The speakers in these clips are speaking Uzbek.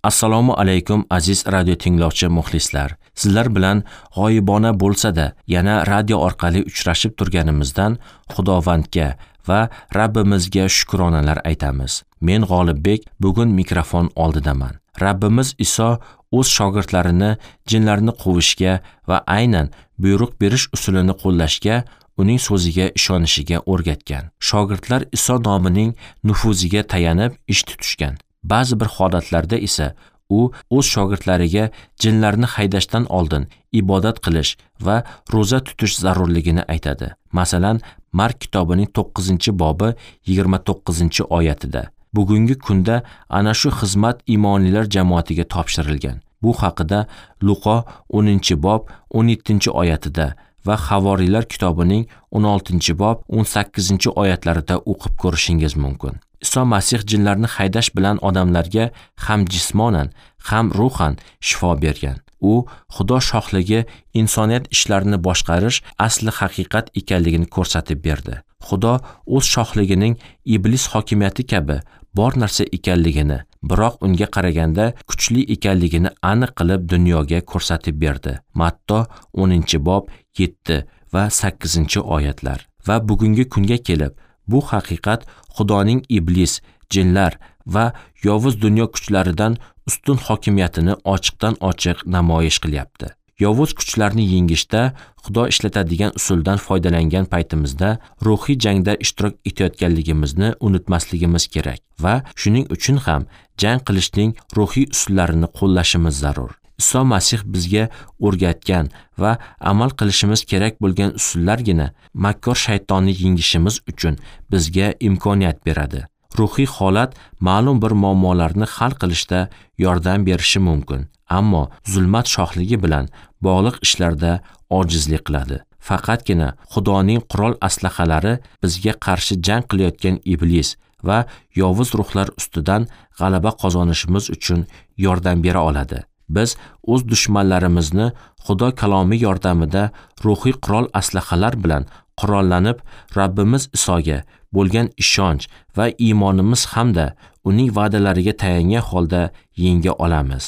Assalomu alaykum aziz radio tinglovchi muxlislar. Sizlar bilan g'oyibona bo'lsa-da, yana radio orqali uchrashib turganimizdan Xudovandga va Rabbimizga shukronalar aytamiz. Men G'olibbek bugun mikrofon oldidaman. Rabbimiz Iso o'z shogirdlarini jinlarni quvishga va aynan buyruq berish usulini qo'llashga, uning so'ziga ishonishiga o'rgatgan. Shogirdlar Iso nomining nufuziga tayanib ish tutishgan. Ba'zi bir holatlarda esa u o'z shogirdlariga jinlarni haydashdan oldin ibodat qilish va ro'za tutish zarurligini aytadi. Masalan, Mark kitobining 9-bobi 29-oyatida. Bugungi kunda ana shu xizmat iymonlilar jamoatiga topshirilgan. Bu haqida Luqo 10-bob 17-oyatida va Havoriylar kitobining 16-bob 18-oyatlarida o'qib ko'rishingiz mumkin. Iso Masih jinlarni haydash bilan odamlarga ham jismonan, ham ruhan shifo bergan. U Xudo shohligi insoniyat ishlarini boshqarish asli haqiqat ekanligini ko'rsatib berdi. Xudo o'z shohligining iblis hokimiyati kabi bor narsa ekanligini, biroq unga qaraganda kuchli ekanligini aniq qilib dunyoga ko'rsatib berdi. Matto 10-bob 7 va 8-oyatlar. Va bugungi kunga kelib bu haqiqat Xudoning iblis, jinlar va yovuz dunyo kuchlaridan ustun hokimiyatini ochiqdan-ochiq namoyish qilyapti. Yovuz kuchlarni yengishda Xudo ishlatadigan usuldan foydalangan paytimizda ruhiy jangda ishtirok etayotganligimizni unutmasligimiz kerak va shuning uchun ham jang qilishning ruhiy usullarini qo'llashimiz zarur. Iso Masih bizga o'rgatgan va amal qilishimiz kerak bo'lgan usullargina makkor shaytonni yengishimiz uchun bizga imkoniyat beradi. Ruhiy holat ma'lum bir muammolarni hal qilishda yordam berishi mumkin, ammo zulmat shohligi bilan bog'liq ishlarda ojizlik qiladi. Faqatgina Xudoning qurol aslahalari bizga qarshi jang qilayotgan iblis va yovuz ruhlar ustidan g'alaba qozonishimiz uchun yordam bera oladi. Biz o'z dushmanlarimizni Xudo kalomi yordamida ruhiy qurol aslahalar bilan qurollanib, Rabbimiz Isoga bo'lgan ishonch va iymonimiz hamda uning va'dalariga tayangan holda yenga olamiz.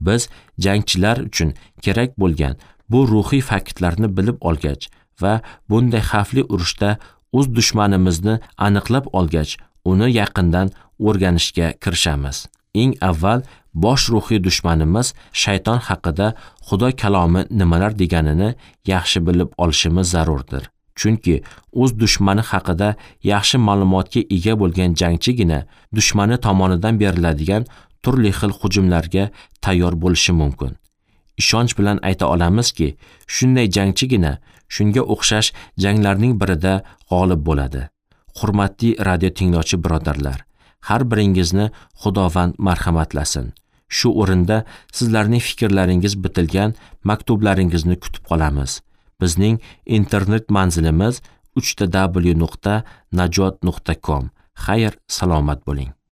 Biz jangchilar uchun kerak bo'lgan bu ruhiy faktlarni bilib olgach va bunday xavfli urushda o'z dushmanimizni aniqlab olgach, uni yaqindan o'rganishga kirishamiz. Eng avval bosh ruhiy dushmanimiz shayton haqida Xudo kalomi nimalar deganini yaxshi bilib olishimiz zarurdir. Chunki o'z dushmani haqida yaxshi ma'lumotga ega bo'lgan jangchigina dushmani tomonidan beriladigan turli xil hujumlarga tayyor bo'lishi mumkin. Ishonch bilan ayta olamizki, shunday jangchigina shunga o'xshash janglarning birida g'olib bo'ladi. Hurmatli radio tinglovchi birodarlar, har biringizni Xudovand marhamatlasin. Shu o'rinda sizlarning fikrlaringiz bitilgan maktublaringizni kutib qolamiz. Bizning internet manzilimiz www.najot.com. Xayr, salomat bo'ling.